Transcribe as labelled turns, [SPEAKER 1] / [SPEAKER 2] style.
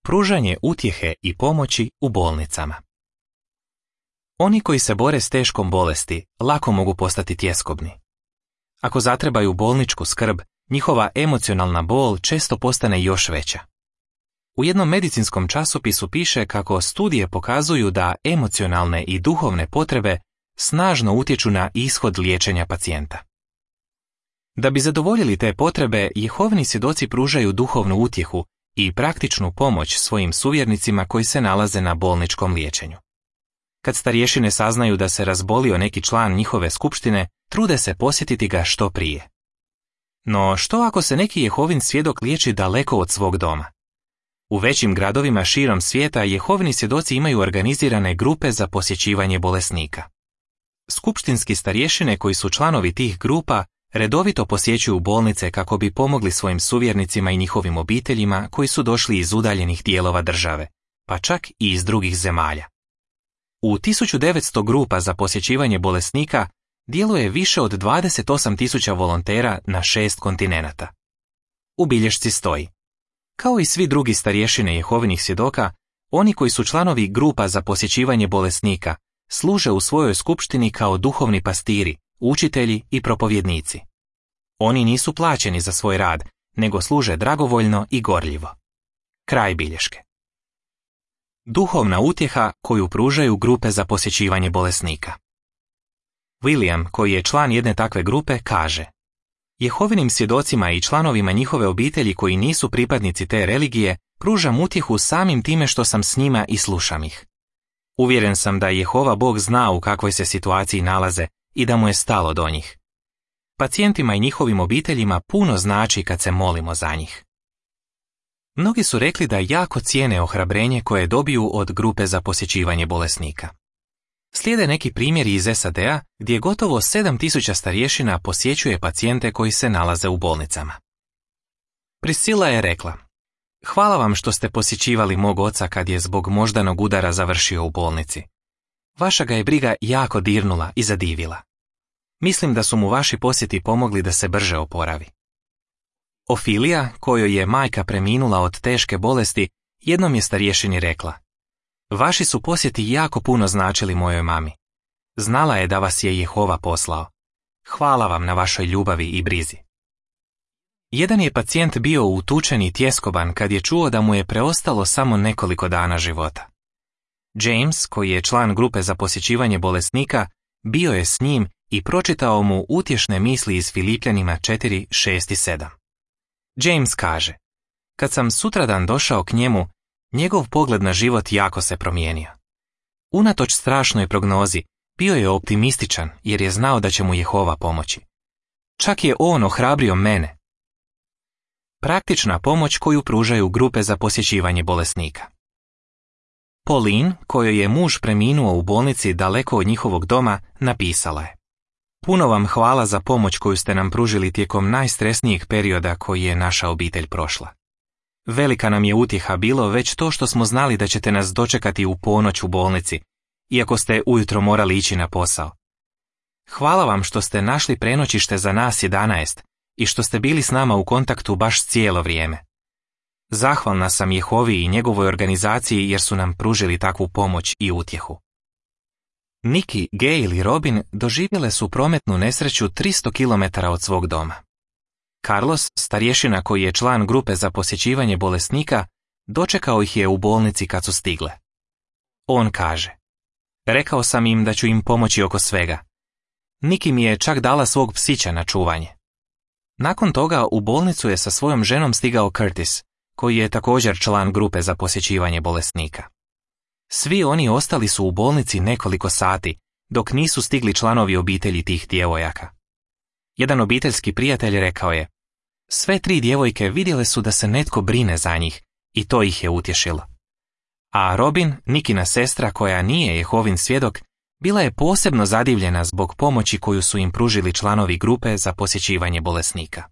[SPEAKER 1] Pružanje utjehe i pomoći u bolnicama. Oni koji se bore s teškom bolesti lako mogu postati tjeskobni. Ako zatrebaju bolničku skrb, njihova emocionalna bol često postane još veća. U jednom medicinskom časopisu piše kako studije pokazuju da emocionalne i duhovne potrebe snažno utječu na ishod liječenja pacijenta. Da bi zadovoljili te potrebe, Jehovini svjedoci pružaju duhovnu utjehu i praktičnu pomoć svojim suvjernicima koji se nalaze na bolničkom liječenju. Kad starješine saznaju da se razbolio neki član njihove skupštine, trude se posjetiti ga što prije. No što ako se neki Jehovin svjedok liječi daleko od svog doma? U većim gradovima širom svijeta Jehovini svjedoci imaju organizirane grupe za posjećivanje bolesnika. Skupštinski starješine koji su članovi tih grupa redovito posjećuju bolnice kako bi pomogli svojim suvjernicima i njihovim obiteljima koji su došli iz udaljenih dijelova države, pa čak i iz drugih zemalja. U 1900 grupa za posjećivanje bolesnika djeluje više od 28.000 volontera na 6 kontinenata. U bilješci stoji: kao i svi drugi starješine Jehovinih svjedoka, oni koji su članovi grupa za posjećivanje bolesnika služe u svojoj skupštini kao duhovni pastiri, učitelji i propovjednici. Oni nisu plaćeni za svoj rad, nego služe dragovoljno i gorljivo. Kraj bilješke. Duhovna utjeha koju pružaju grupe za posjećivanje bolesnika. William, koji je član jedne takve grupe, kaže: Jehovinim svjedocima i članovima njihove obitelji koji nisu pripadnici te religije pružam utjehu samim time što sam s njima i slušam ih. Uvjeren sam da Jehova Bog zna u kakvoj se situaciji nalaze i da mu je stalo do njih. Pacijentima i njihovim obiteljima puno znači kad se molimo za njih. Mnogi su rekli da jako cijene ohrabrenje koje dobiju od grupe za posjećivanje bolesnika. Slijede neki primjeri iz SAD-a gdje gotovo 7.000 starješina posjećuje pacijente koji se nalaze u bolnicama. Priscilla je rekla: hvala vam što ste posjećivali mog oca kad je zbog moždanog udara završio u bolnici. Vaša ga je briga jako dirnula i zadivila. Mislim da su mu vaši posjeti pomogli da se brže oporavi. Ofilija, kojoj je majka preminula od teške bolesti, jednom je starješini rekla: vaši su posjeti jako puno značili mojoj mami. Znala je da vas je Jehova poslao. Hvala vam na vašoj ljubavi i brizi. Jedan je pacijent bio utučen i tjeskoban kad je čuo da mu je preostalo samo nekoliko dana života. James, koji je član grupe za posjećivanje bolesnika, bio je s njim i pročitao mu utješne misli iz Filipljanima 4, 6 i 7. James kaže: kad sam sutradan došao k njemu, njegov pogled na život jako se promijenio. Unatoč strašnoj prognozi, bio je optimističan jer je znao da će mu Jehova pomoći. Čak je on ohrabrio mene. Praktična pomoć koju pružaju grupe za posjećivanje bolesnika. Pauline, kojoj je muž preminuo u bolnici daleko od njihovog doma, napisala je: puno vam hvala za pomoć koju ste nam pružili tijekom najstresnijeg perioda koji je naša obitelj prošla. Velika nam je utjeha bilo već to što smo znali da ćete nas dočekati u ponoć u bolnici, iako ste ujutro morali ići na posao. Hvala vam što ste našli prenoćište za nas 11 i što ste bili s nama u kontaktu baš cijelo vrijeme. Zahvalna sam Jehovi i njegovoj organizaciji jer su nam pružili takvu pomoć i utjehu. Nikki, Gail i Robin doživjele su prometnu nesreću 300 km od svog doma. Carlos, starješina koji je član grupe za posjećivanje bolesnika, dočekao ih je u bolnici kad su stigle. On kaže: rekao sam im da ću im pomoći oko svega. Nikki mi je čak dala svog psića na čuvanje. Nakon toga u bolnicu je sa svojom ženom stigao Curtis, koji je također član grupe za posjećivanje bolesnika. Svi oni ostali su u bolnici nekoliko sati, dok nisu stigli članovi obitelji tih djevojaka. Jedan obiteljski prijatelj rekao je: sve 3 djevojke vidjele su da se netko brine za njih i to ih je utješilo. A Robin, Nikina sestra koja nije Jehovin svjedok, bila je posebno zadivljena zbog pomoći koju su im pružili članovi grupe za posjećivanje bolesnika.